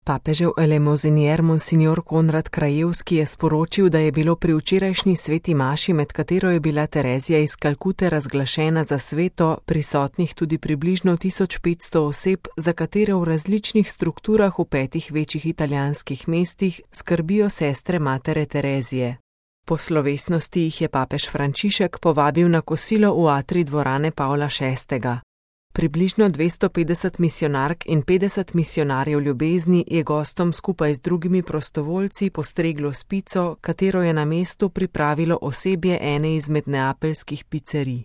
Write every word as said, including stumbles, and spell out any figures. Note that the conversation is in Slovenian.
Papežev elemozinier monsignor Konrad Krajevski je sporočil, da je bilo pri včerajšnji sveti maši, med katero je bila Terezija iz Kalkute razglašena za sveto, prisotnih tudi približno tisoč petsto oseb, za katere v različnih strukturah v petih večjih italijanskih mestih skrbijo sestre matere Terezije. Po slovesnosti jih je papež Frančišek povabil na kosilo v atrij dvorane Pavla šestega. Približno dvesto petdeset misijonark in petdeset misijonarjev ljubezni je gostom skupaj z drugimi prostovoljci postreglo s pico, katero je na mestu pripravilo osebje ene izmed neapeljskih picerij.